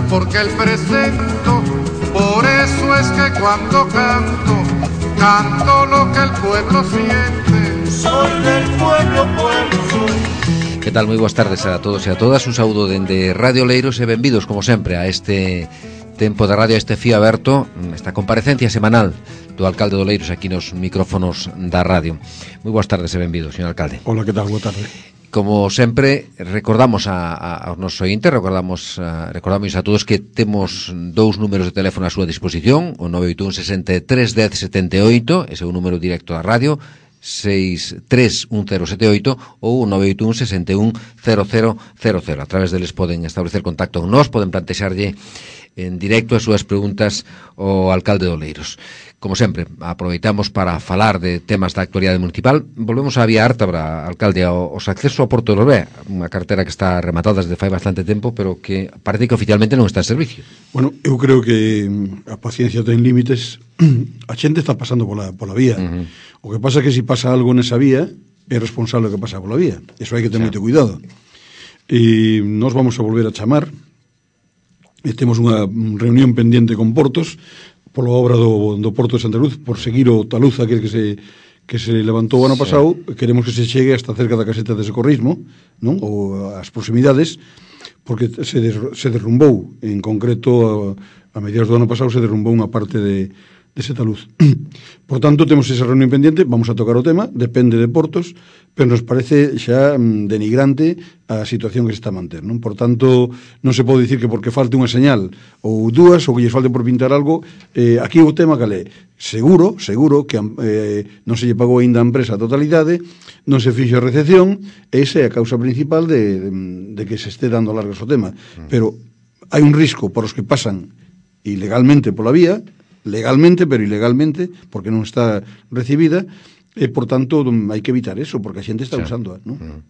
porque el presento. Por eso es que cuando canto, canto lo que el pueblo siente. Soy del pueblo, pueblo soy. Que tal? Moi boas tardes a todos e a todas. Un saúdo dende Radio Oleiros e benvidos, como sempre, a este tempo de radio, a este fío aberto, esta comparecencia semanal do alcalde de Oleiros aquí nos micrófonos da radio. Moi boas tardes e benvidos, señor alcalde. Hola, que tal? Boa tarde. Como sempre, recordamos aos nosos ointes, recordamos a todos que temos dous números de teléfono á súa disposición, o 981 63 10 78, ese é o número directo da radio, 631078 ou 981 61 0000. A través deles poden establecer contacto con nós, poden plantexarlle en directo as súas preguntas ao alcalde de Oleiros. Como sempre, aproveitamos para falar de temas da actualidade municipal. Volvemos á vía Ártabra, alcalde, os accesos ao Porto de Lorbé, unha cartera que está rematada desde fai bastante tempo, pero que parece que oficialmente non está en servicio. Bueno, eu creo que a paciencia ten límites. A xente está pasando pola vía. O que pasa é que se pasa algo nesa vía, é responsable o que pasa pola vía. Eso hai que ter moito cuidado. E nós vamos a volver a chamar. E temos unha reunión pendiente con Portos pola obra do Porto de Santa Cruz, por seguir o taluza que se levantou o ano pasado. Queremos que se chegue hasta cerca da caseta de socorrismo, non? Ou as proximidades, porque se derrumbou, en concreto a mediados do ano pasado se derrumbou unha parte dese taluz. Por tanto, temos esa reunión pendiente, vamos a tocar o tema, depende de Portos, pero nos parece xa denigrante a situación que se está a manter, non? Por tanto, non se pode dicir que porque falte unha señal ou dúas, ou que lles falte por pintar algo, aquí o tema cal é? Seguro que non se lle pagou ainda a empresa a totalidade, non se fixo a recepción, esa é a causa principal de que se este dando largas o tema. Pero hai un risco para os que pasan ilegalmente pola vía, legalmente, pero ilegalmente, porque non está recibida, e, por tanto, hai que evitar eso, porque a xente está usando, non?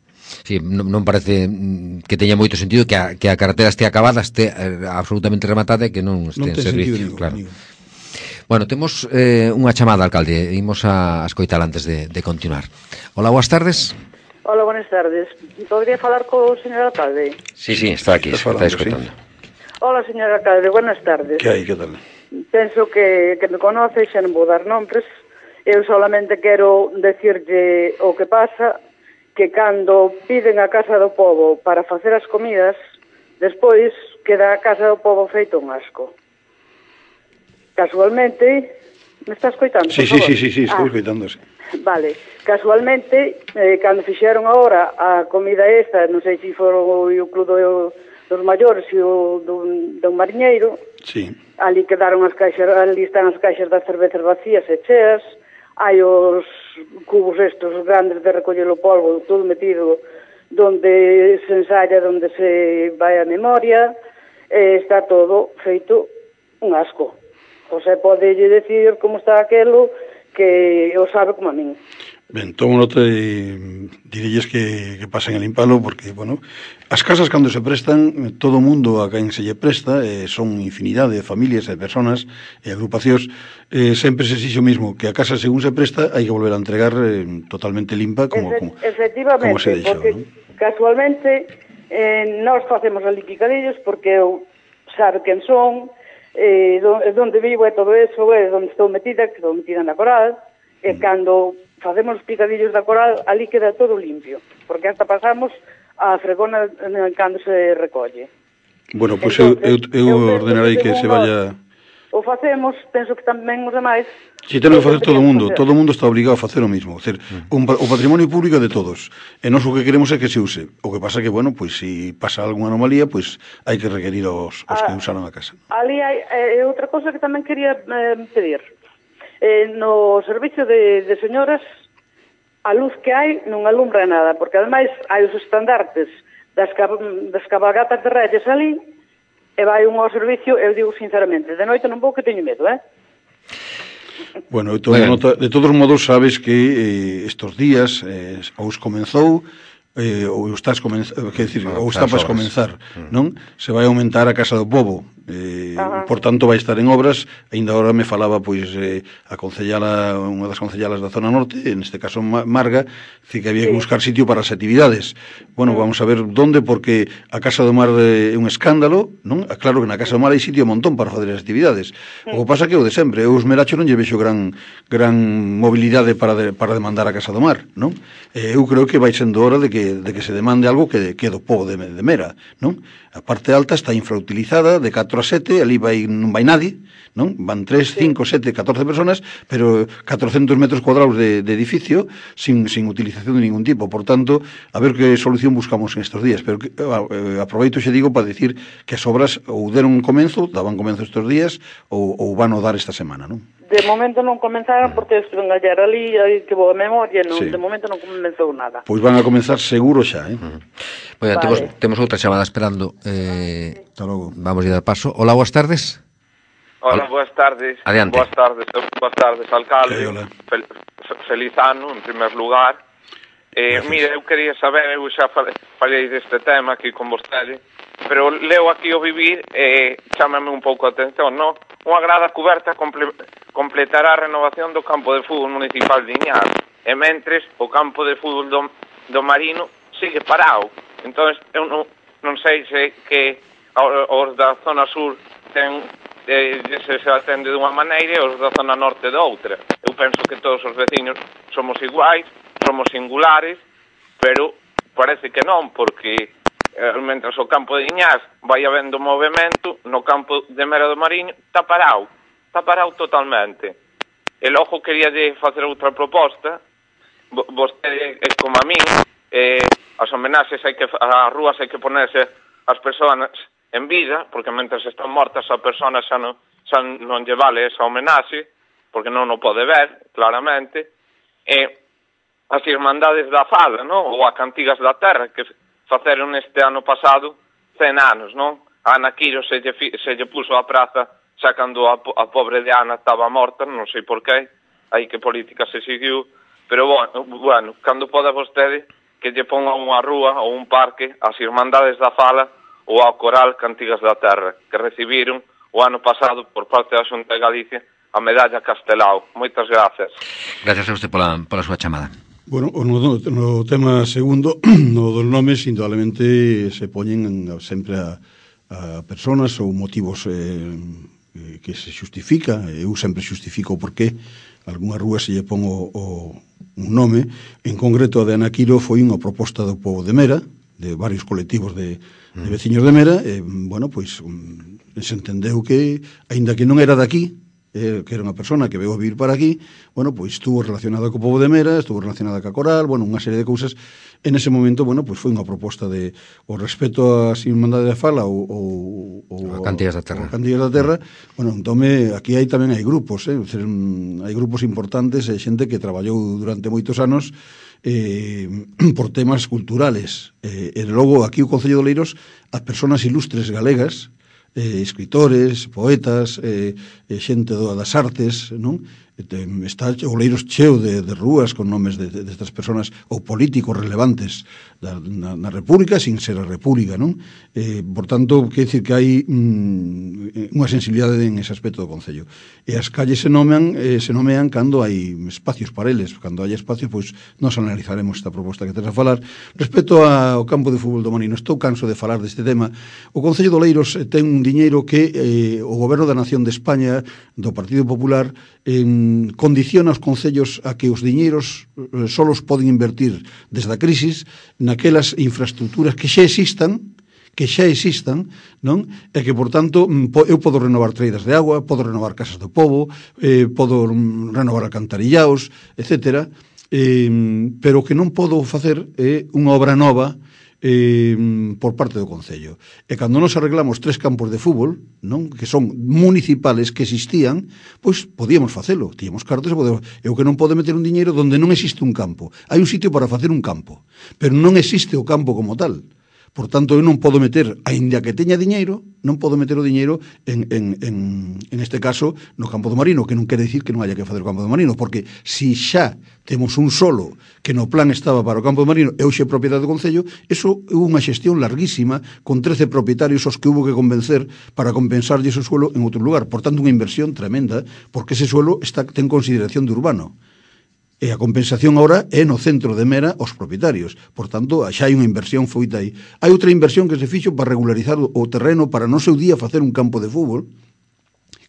Sí, non parece que teña moito sentido que a carretera este acabada, este absolutamente rematada e que non este en servicio, claro. Bueno, temos unha chamada, alcalde, imos a escoitar antes de continuar. Hola, boas tardes. Hola, buenas tardes. Podría falar co señor alcalde? Sí, está aquí, está escoitando. Sí. Hola, señor alcalde, buenas tardes. Que hai, que tal? Penso que me conoce, xa non vou dar nombres. Eu solamente quero decirlle o que pasa, que cando piden a Casa do Pobo para facer as comidas, despois queda a Casa do Pobo feito un asco. Casualmente, me está escoitando? Sí, estou escoitando, sí. Vale, casualmente, cando fixeron agora a comida esta, non sei se foron o Club dos Maiores e o do Mariñeiro, sí. Ali quedaron as caixas, ali están as caixas das cervezas vacías e cheas, hai os cubos estos grandes de recoller o polvo, todo metido donde se ensaya, donde se vai a memoria, está todo feito un asco. José pode decir como está aquelo, que o sabe como a min. Ben, tomo nota e direlles que pasen a limpalo, porque, bueno, as casas cando se prestan, todo o mundo a quen se lle presta, son infinidade de familias e personas e agrupacións, sempre se exige o mismo, que a casa según se presta hai que volver a entregar totalmente limpa como se deixou, porque ¿no? Casualmente nós facemos ali picadillos porque eu sabe quen son, donde vivo e todo eso, donde estou metida na Coral, e cando facemos os picadillos da Coral, ali queda todo limpio, porque hasta pasamos a fregona cando se recolle. Bueno, pois eu ordenarei que se vaya... O facemos, penso que tamén os demais... Si ten que facer todo o mundo está obligado a facer o mismo, o patrimonio público é de todos, e nós o que queremos é que se use. O que pasa que, bueno, pois se pasa algunha anomalía, pois hai que requerir aos que usaron a casa. Ali hai outra cosa que tamén quería pedir. No servicio de señoras, a luz que hai non alumbra nada, porque ademais hai os estandartes das cabalgatas de Reyes ali, e vai un ao servicio, eu digo sinceramente, de noite non vou que teño medo, Bueno, de todos modos sabes que estes días ou comenzou ou está para comenzar, non? Se vai aumentar a Casa do Pobo Por tanto vai estar en obras. Ainda agora me falaba pois a concellala, unha das concellalas da zona norte, en este caso Marga, que había que buscar sitio para as actividades. Bueno, vamos a ver onde, porque a Casa do Mar é un escándalo, non? Claro que na Casa do Mar hai sitio un montón para fazer as actividades. O que pasa que o de sempre, eu os merachos non lle vexo gran mobilidade para demandar a Casa do Mar, non? Eu creo que vai sendo hora de que se demande algo que do povo de Mera, non? A parte alta está infrautilizada, de 4 a 7, ali non vai nadie, non? Van 3, 5, 7, 14 personas, pero 400 metros cuadrados de edificio sin utilización de ningún tipo. Por tanto, a ver que solución buscamos en estos días. Pero aproveito xe digo para decir que as obras ou deron comenzo, daban comenzo estes días, ou van a dar esta semana, non? De momento non comenzaron porque estuve en ayer ali e que boa memoria, non, de momento non comenzou nada. Pois van a comenzar seguro xa, Bueno, temos outra chamada esperando. Hasta logo. Vamos a dar paso. Hola, boas tardes. Hola, boas tardes. Adiante. Boas tardes, alcalde. Hola. Feliz ano, en primer lugar. Mira, eu quería saber, eu xa falei deste tema aquí con vostede, pero leo aquí o vivir e chámame un pouco a atención, non? Unha grada coberta completará a renovación do campo de fútbol municipal de Iñás, e mentres o campo de fútbol do Marino sigue parado. Entón, eu non sei se que os da zona sur se atende dunha maneira e os da zona norte de outra. Eu penso que todos os veciños somos iguais, somos singulares, pero parece que non, porque mentre o campo de Iñás vai habendo movimento, no campo de Mera do Mariño está parado totalmente. E logo quería facer outra proposta. Vostede é como a min, as homenaxes as rúas hai que ponerse as persoas en vida, porque mentre están mortas a persona xa non lle vale esa homenaxe, porque non o pode ver, claramente. E as Irmandades da Fada, non? Ou a Cantigas da Terra, que faceron este ano pasado 100 anos, non? A Ana Quiro se lle puso a praza xa cando a pobre de Ana estaba morta, non sei por qué, aí que política se seguiu, pero bueno, cando poda vostede que lle ponga unha rúa ou un parque ás Irmandades da Fala ou ao Coral Cantigas da Terra, que recibiron o ano pasado por parte da Xunta de Galicia a medalla Castelao. Moitas gracias. Gracias a usted pola súa chamada. Bueno, no tema segundo, no dos nomes, indudablemente se poñen sempre a personas ou motivos que se justifica. Eu sempre justifico por qué algunha rúa se lle pon un nome. En concreto, a de Ana Quiro foi unha proposta do povo de Mera, de varios colectivos de veciños de Mera, bueno, pois se entendeu que, aínda que non era daqui, que era unha persona que veio a vivir para aquí, bueno, pois estuvo relacionada co povo de Mera, estuvo relacionada ca Coral, bueno, unha serie de cousas. En ese momento, bueno, pois foi unha proposta de o respeto ás Irmandades da Fala ou Cantigas da Terra. Cantigas da Terra. Bueno, entón aquí tamén hai grupos, hai grupos importantes, xente que traballou durante moitos anos por temas culturales. E logo aquí o Concello de Oleiros, as persoas ilustres galegas, escritores, poetas, xente das artes, non? Está Oleiros cheo de rúas con nomes destas persoas ou políticos relevantes na República sin ser a República, non? Por tanto, quer dicir que hai unha sensibilidade en ese aspecto do Concello. E as calles se nomean cando hai espacios para eles. Cando hai espacios, pois nos analizaremos esta proposta que tens a falar. Respecto ao campo de fútbol do Marino, estou canso de falar deste tema. O Concello de Oleiros ten un diñeiro que o Goberno da Nación de España, do Partido Popular, condiciona os concellos a que os diñeiros solos poden invertir desde a crisis naquelas infraestructuras que xa existan, non? E que, por tanto, eu podo renovar treidas de agua, podo renovar casas do pobo, podo renovar alcantarillaos, etc. Pero que non podo facer unha obra nova por parte do Concello. E cando nos arreglamos 3 campos de fútbol, non, que son municipales, que existían, pois podíamos facelo, tíamos cartas, eu que non podo meter un diñeiro donde non existe un campo. Hai un sitio para facer un campo, pero non existe o campo como tal. Por tanto, eu non podo meter, aínda que teña diñeiro, non podo meter o diñeiro en este caso no campo do Marino, que non quere dicir que non haya que facer o campo do Marino, porque si xa temos un solo que no plan estaba para o campo do Marino e hoxe é propiedade do Concello, eso é unha xestión larguísima con 13 propietarios os que hubo que convencer para compensarlle ese suelo en outro lugar. Por tanto, unha inversión tremenda, porque ese suelo ten consideración de urbano. E a compensación agora é no centro de Mera aos propietarios. Por tanto, xa hai unha inversión feita aí. Hai outra inversión que se fixo para regularizar o terreno para no seu día facer un campo de fútbol,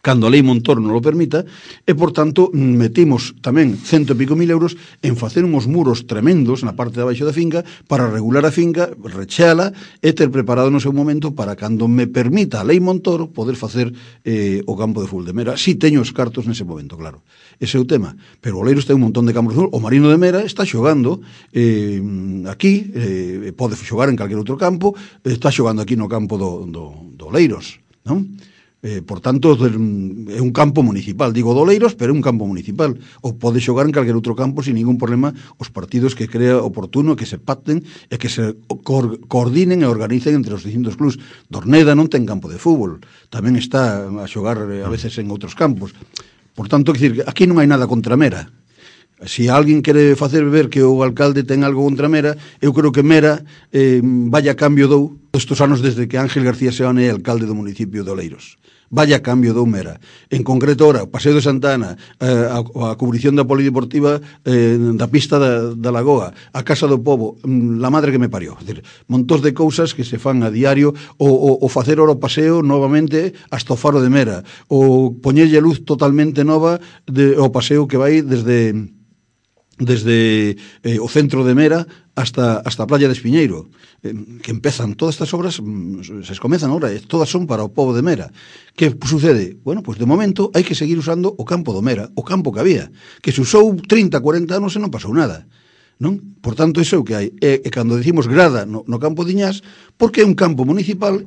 cando a lei Montoro non o permita, e, por tanto, metimos tamén 100 e pico mil euros en facer uns muros tremendos na parte de abaixo da finca para regular a finca, recheala e ter preparado no seu momento para cando me permita a lei Montoro poder facer o campo de fútbol de Mera. Si teño os cartos nese momento, claro. Ese é o tema. Pero o Oleiros ten un montón de campos de fútbol. O Marino de Mera está xogando aquí, pode xogar en calquer outro campo, está xogando aquí no campo do Oleiros, non? Por tanto, é un campo municipal, digo do Oleiros, pero é un campo municipal, ou pode xogar en calquer outro campo sin ningún problema os partidos que crea oportuno, que se pacten e que se coordinen e organicen entre os distintos clubs. Dorneda non ten campo de fútbol, tamén está a xogar a veces en outros campos. Por tanto, que aquí non hai nada contra Mera. Si alguén quere facer ver que o alcalde ten algo contra Mera, eu creo que Mera vaya cambio dou estes anos desde que Ángel García Seoane é alcalde do municipio de Oleiros. Vaya cambio dou Mera. En concreto, ora, o Paseo de Santa Ana, a cubrición da polideportiva da pista da Lagoa, a Casa do Pobo, la madre que me parió. Es decir, montós de cousas que se fan a diario, o facer ora o paseo novamente hasta o Faro de Mera, o poñerlle luz totalmente nova ao paseo que vai desde o centro de Mera hasta a playa de Espiñeiro, que empezan todas estas obras, se comezan ahora, todas son para o pobo de Mera. Que sucede? Bueno, pues de momento hai que seguir usando o campo do Mera, o campo que había, que se usou 30, 40 anos e non pasou nada, non? Por tanto, iso é o que hai. E cando decimos grada no campo de Iñás, porque é un campo municipal,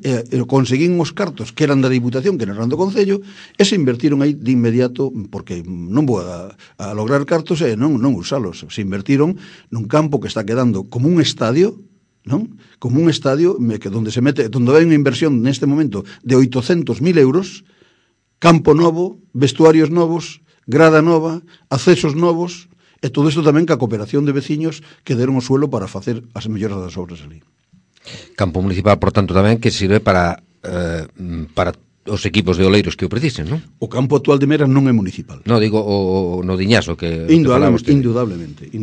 conseguín os cartos que eran da Diputación, que non eran do Concello, e se invertiron aí de inmediato, porque non vou a lograr cartos e non usalos. Se invertiron nun campo que está quedando como un estadio, non? Como un estadio onde hai unha inversión neste momento de 800.000 euros, campo novo, vestuarios novos, grada nova, accesos novos, e todo isto tamén ca cooperación de veciños que deron o suelo para facer as melloras das obras ali. Campo municipal, por tanto, tamén que sirve para os equipos de Oleiros que o precisen, non? O campo actual de Mera non é municipal. No, digo o no Diñaso que indudablemente.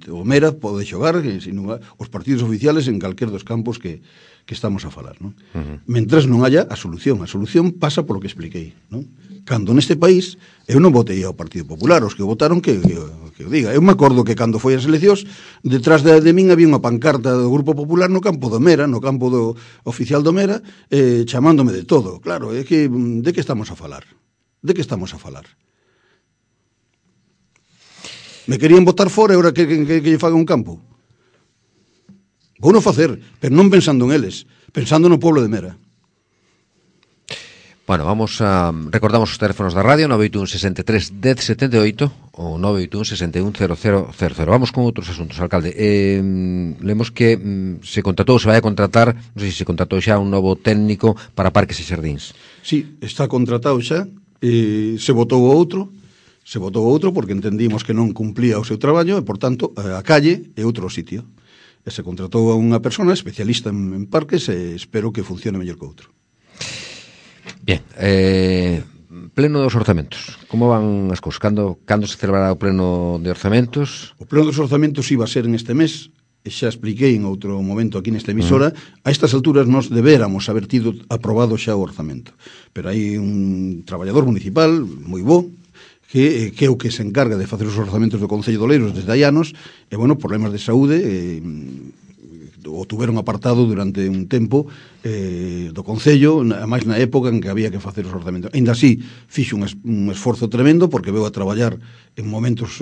O Mera pode xogar os partidos oficiales en calquer dos campos que estamos a falar, non? Mentres non haya a solución pasa polo que expliquei, non? Cando neste país eu non votei ao Partido Popular, os que votaron que o diga. Eu me acordo que cando foi as eleccións, detrás de min había unha pancarta do Grupo Popular no campo do Mera, no campo do oficial do Mera, chamándome de todo. Claro, é que de que estamos a falar? De que estamos a falar? Me querían votar fora e agora que lle faga un campo? Vou non facer, pero non pensando en eles, pensando no pueblo de Mera. Bueno, recordamos os teléfonos da radio, 981 63 10 78 ou 981 61 0000. Vamos con outros asuntos, alcalde. Lemos que se vai a contratar, non sei se se contratou xa un novo técnico para parques e xardíns. Sí, está contratado xa, se votou outro porque entendimos que non cumplía o seu traballo e, por tanto, a calle é outro sitio. E se contratou a unha persona especialista en parques e espero que funcione mellor que outro. Bien, pleno dos orzamentos. Como van as cousas? Cando se celebrará o pleno de orzamentos? O pleno dos orzamentos iba a ser en este mes, e xa expliquei en outro momento aquí nesta emisora, a estas alturas nos debéramos haber tido aprobado xa o orzamento. Pero hai un traballador municipal moi bo, que é o que se encarga de facer os orzamentos do Concello de Oleiros desde hai anos, e, bueno, problemas de saúde, o tuveron apartado durante un tempo do Concello, máis na época en que había que facer os orzamentos. Ainda así, fixo un esforzo tremendo, porque veu a traballar en momentos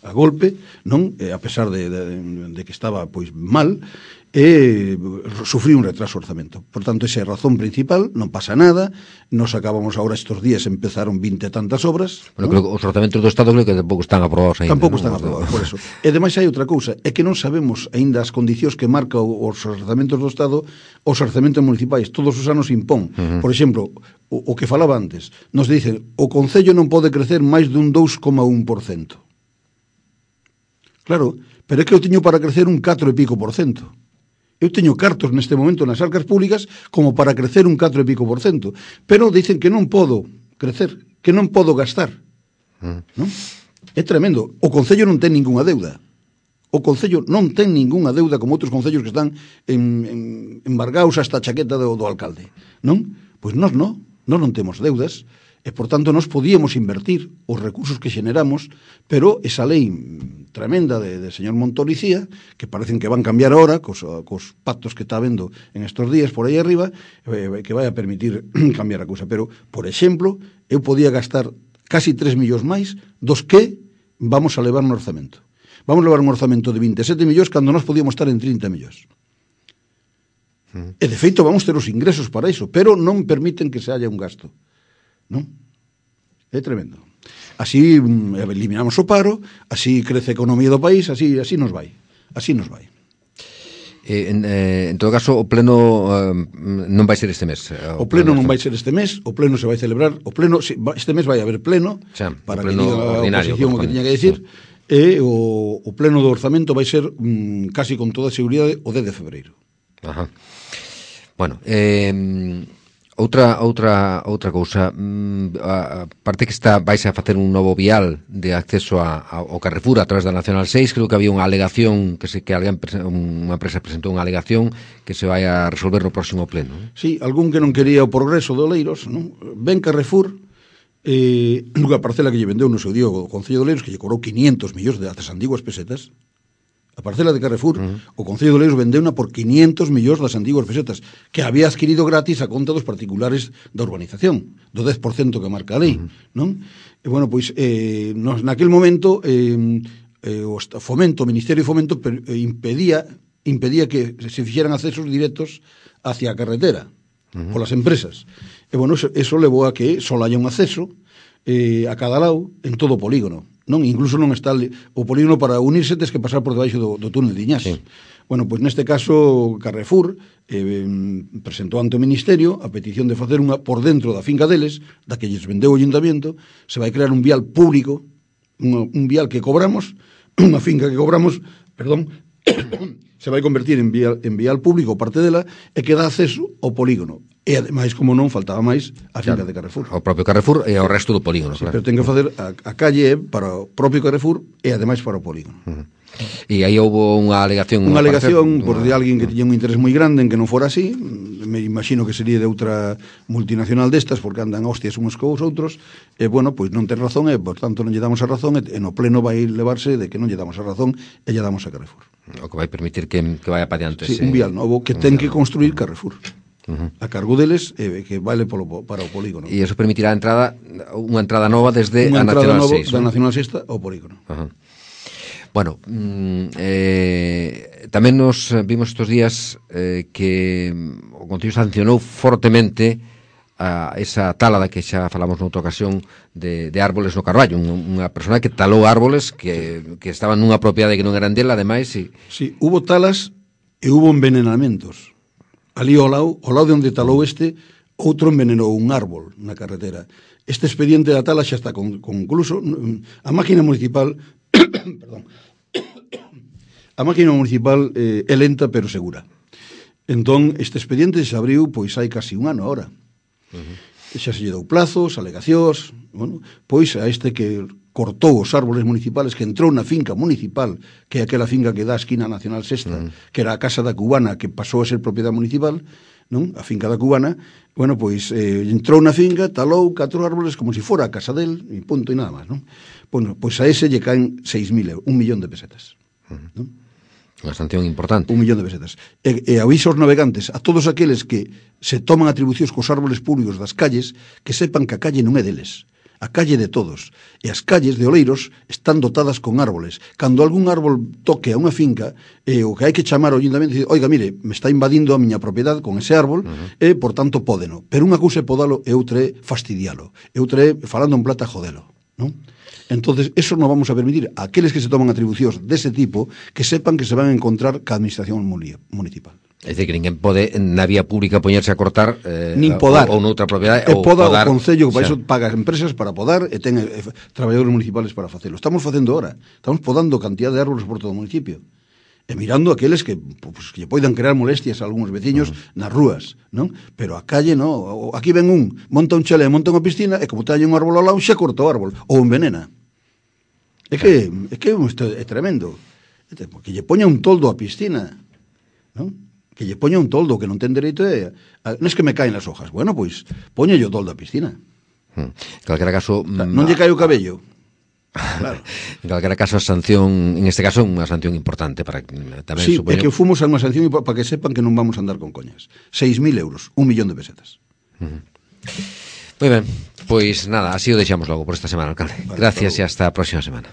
a golpe, non? A pesar de que estaba pois mal, sufrir un retraso orzamento. Por tanto, esa é a razón principal, non pasa nada, nos acabamos agora estes días, empezaron 20 e tantas obras. Bueno, creo que os orzamentos do Estado creo que tampouco están aprobados ainda. Tampouco están aprobados, por eso. E ademais hai outra cousa, é que non sabemos aínda as condicións que marca os orzamentos do Estado, os orzamentos municipais, todos os anos impón. Por exemplo, o que falaba antes, nos dicen, o Concello non pode crecer máis dun 2,1%. Claro, pero é que eu teño para crecer un 4 e pico por cento. Eu teño cartos neste momento nas arcas públicas como para crecer un 4 e pico por cento. Pero dicen que non podo crecer, que non podo gastar. Non? É tremendo. O Concello non ten ningunha deuda. O Concello non ten ningunha deuda como outros concellos que están embargados hasta a chaqueta do alcalde. Non? Pois nós non temos deudas. E, por tanto, nos podíamos invertir os recursos que xeneramos, pero esa lei tremenda de señor Montolicía, que parecen que van cambiar ahora, cos pactos que está vendo en estos días por aí arriba, que vai a permitir cambiar a cousa. Pero, por exemplo, eu podía gastar casi 3 millóns máis dos que vamos a levar no orzamento. Vamos a levar un orzamento de 27 millóns cando nós podíamos estar en 30 millóns. E, de feito, vamos ter os ingresos para iso, pero non permiten que se haya un gasto. Non? É tremendo. Así eliminamos o paro, así crece a economía do país, así nos vai. Así nos vai. En todo caso, o pleno non vai ser este mes. O pleno non vai ser este mes, o pleno se vai celebrar, este mes vai haber pleno, para que diga a oposición o que tiña que decir, e o pleno do orzamento vai ser casi con toda a seguridade o 10 de febreiro. Ajá. Bueno, Outra cousa, parte que vais a facer un novo vial de acceso ao Carrefour a través da Nacional 6, creo que había unha alegación unha empresa presentou unha alegación que se vai a resolver no próximo pleno. Sí, algún que non quería o progreso de Oleiros, non? Ben Carrefour, nunha parcela que lle vendeu no seu día o Concello de Oleiros, que lle cobrou 500 millóns de as antiguas pesetas. A parcela de Carrefour, o Concello de Oleiros vendeuna por 500 millóns das antiguas pesetas, que había adquirido gratis a conta dos particulares da urbanización, do 10% que marca a lei, non? E, bueno, pois, naquel momento, o Fomento, o Ministerio de Fomento, impedía que se fixeran accesos directos hacia a carretera, polas empresas. E, bueno, eso levou a que só haya un acceso a cada lado en todo o polígono. Non, incluso non está o polígono para unirse, tes que pasar por debaixo do túnel de Iñás. Sí. Bueno, pois neste caso Carrefour presentou ante o Ministerio a petición de facer unha por dentro da finca deles, da que lles vendeu o Ayuntamiento, se vai crear un vial público, un vial que cobramos, unha finca que cobramos, se vai convertir en vial público parte dela e que dá acceso ao polígono. E ademais, como non, faltaba máis a finca de Carrefour. O propio Carrefour e ao resto do polígono, sí, claro. Pero ten que facer a calle para o propio Carrefour e ademais para o polígono. E aí houve unha alegación... Unha alegación por de alguén que tiña un interés moi grande en que non fora así. Me imagino que sería de outra multinacional destas, porque andan hostias uns cos outros. E, bueno, pois non ten razón e, por tanto, non lle damos a razón e no pleno vai levarse de que non lle damos a razón e lle damos a Carrefour. O que vai permitir que vaya para diante. Sí, un vial novo que ten que construir Carrefour. A cargo deles, que vale para o polígono. E iso permitirá unha entrada nova desde a Nacional 6. Da Nacional 6 ao polígono. Bueno, tamén nos vimos estes días que o Concello sancionou fortemente a esa tala da que xa falamos noutra ocasión de árboles no Carballo, unha persona que talou árboles que estaban nunha propiedade que non eran dela, ademais. Sí, hubo talas e hubo envenenamentos. Ali ao lado de onde talou outro envenenou un árbol na carretera. Este expediente da tala xa está concluso. A máquina municipal é lenta pero segura. Entón, este expediente se abriu pois hai casi un ano ahora. Xa se lle dou plazos, alegacións, bueno, pois a este que cortou os árboles municipales, que entrou na finca municipal, que é aquela finca que dá a esquina Nacional Sexta, que era a Casa da Cubana, que pasou a ser propiedade municipal, non? A finca da Cubana, bueno, pois entrou na finca, talou 4 árboles como se fora a casa del, e punto, e nada máis, non? Bueno, pois a ese lle caen 6.000 euros, 1 millón de pesetas, non? Unha sanción importante. 1 millón de pesetas. E aviso aos navegantes, a todos aqueles que se toman atribucións cos árboles públicos das calles, que sepan que a calle non é deles. a calle de todos. E as calles de Oleiros están dotadas con árboles. Cando algún árbol toque a unha finca, o que hai que chamar ao ayuntamiento e dicir, oiga, mire, me está invadindo a miña propiedade con ese árbol, e, por tanto, pódeno. Pero unha cousa é podalo e outra é fastidialo. E outra é, falando en plata, jodelo, non? Entonces, eso non vamos a permitir. Aqueles que se toman atribucións dese tipo, que sepan que se van a encontrar ca administración municipal. É dicir, que ninguén pode na vía pública poñerse a cortar nin podar. ou noutra propiedade ou podar o Concello, que para xa. iso paga as empresas para podar e ten traballadores municipales para facelo. Estamos facendo ahora. Estamos podando cantidad de árboles por todo o municipio. E mirando aqueles que, pues, que poidan crear molestias a algúns veciños nas rúas, non? Pero a calle, non. Aquí ven monta un chalé, monta unha piscina, e como teña un árbol ao lado, xa corta o árbol, ou envenena. É que isto é tremendo. Que lle poña un toldo á piscina, non? Que lle poña un toldo, que non ten dereito non é que me caen as hojas. Bueno, pois, poña o toldo á piscina. En calquera caso... Non lle cae o cabello. Claro. En calquera caso, a sanción, en este caso, unha sanción importante para tamén sí, supoño... é que fomos a unha sanción para que sepan que non vamos a andar con coñas. 6.000 euros, 1 millón de pesetas. Moi ben, pois nada, así o deixamos logo por esta semana, alcalde. Vale, gracias e hasta a próxima semana.